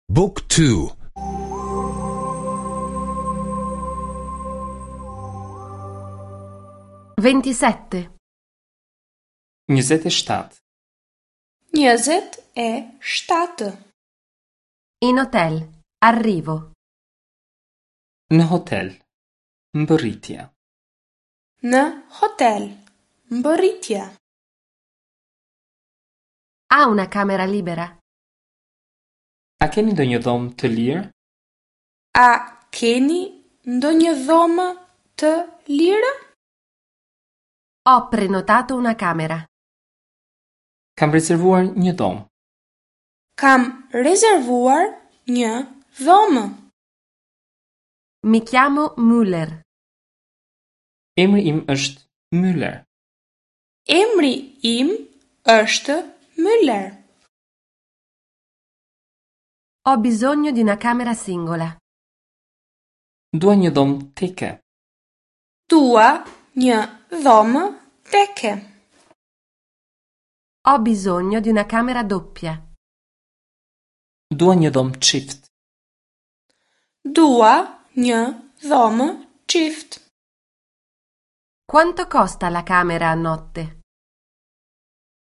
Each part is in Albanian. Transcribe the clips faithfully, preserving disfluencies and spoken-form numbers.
Book two. Ventisette. Njëzet e shtatë. Njëzet e shtatë. In hotel. Arrivo. Në hotel. Mbërritja. Në hotel. Mbërritja. Ha una camera libera? A keni ndonjë dhomë të lirë? A keni ndonjë dhomë të lirë? Ho prenotato una camera. Kam rezervuar një dhomë. Kam rezervuar një dhomë. Mi chiamo Müller. Emri im është Müller. Emri im është Müller. Ho bisogno di una camera singola. Dua një dhomë teke. Dua një dhomë teke. Ho bisogno di una camera doppia. Dua një dhomë çift. Dua një dhomë çift. Quanto costa la camera a notte?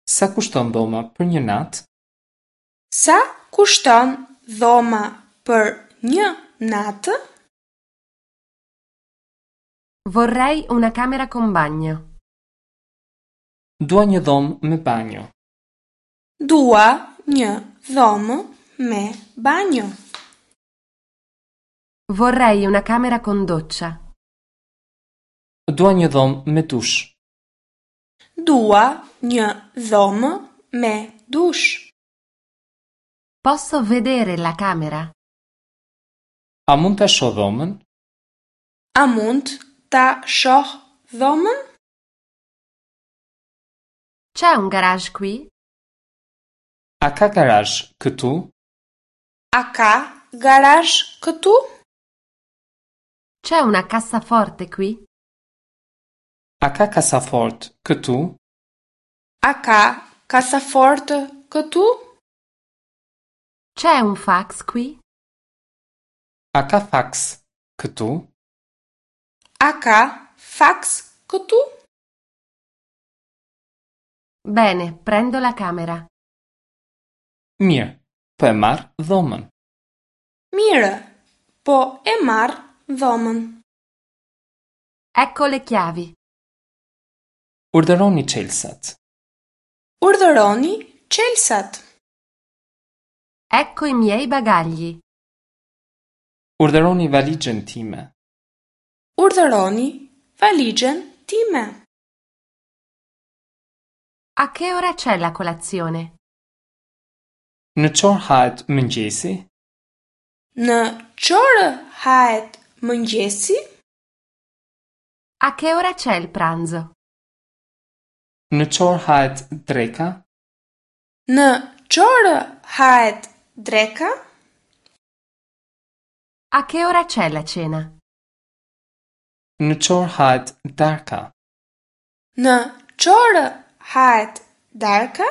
Sa kushton dhoma për një natë? Sa kushton dhoma për një natë? Vorrei una camera con bagno. Dua një dhomë me banjo. Dua një dhomë me banjo. Vorrei una camera con doccia. Dua një dhomë me dush. Dua një dhomë me dush. Posso vedere la camera? A mund ta shoh dhomën? A mund ta shoh dhomën? C'è un garage qui? A ka garazh këtu? A ka garazh këtu? C'è una cassaforte qui? A ka kasafort këtu? A ka kasafortë këtu? C'è un fax qui? A ka fax këtu? A ka fax këtu? Bene, prendo la camera. Mirë, po e marr dhomën. Mirë, po e marr dhomën. Ecco le chiavi. Urdhëroni çelësat. Urdhëroni çelësat. Ecco i miei bagagli. Urdhëroni valixhen time. Urdhëroni valixhen time. A che ora c'è la colazione? Në ç'orë hahet mëngjesi? Në ç'orë hahet mëngjesi? A che ora c'è il pranzo? Në ç'orë hahet dreka? Në ç'orë hahet dreka? A che ora c'è la cena? Në ç'orë hahet darka? Në ç'orë hahet darka?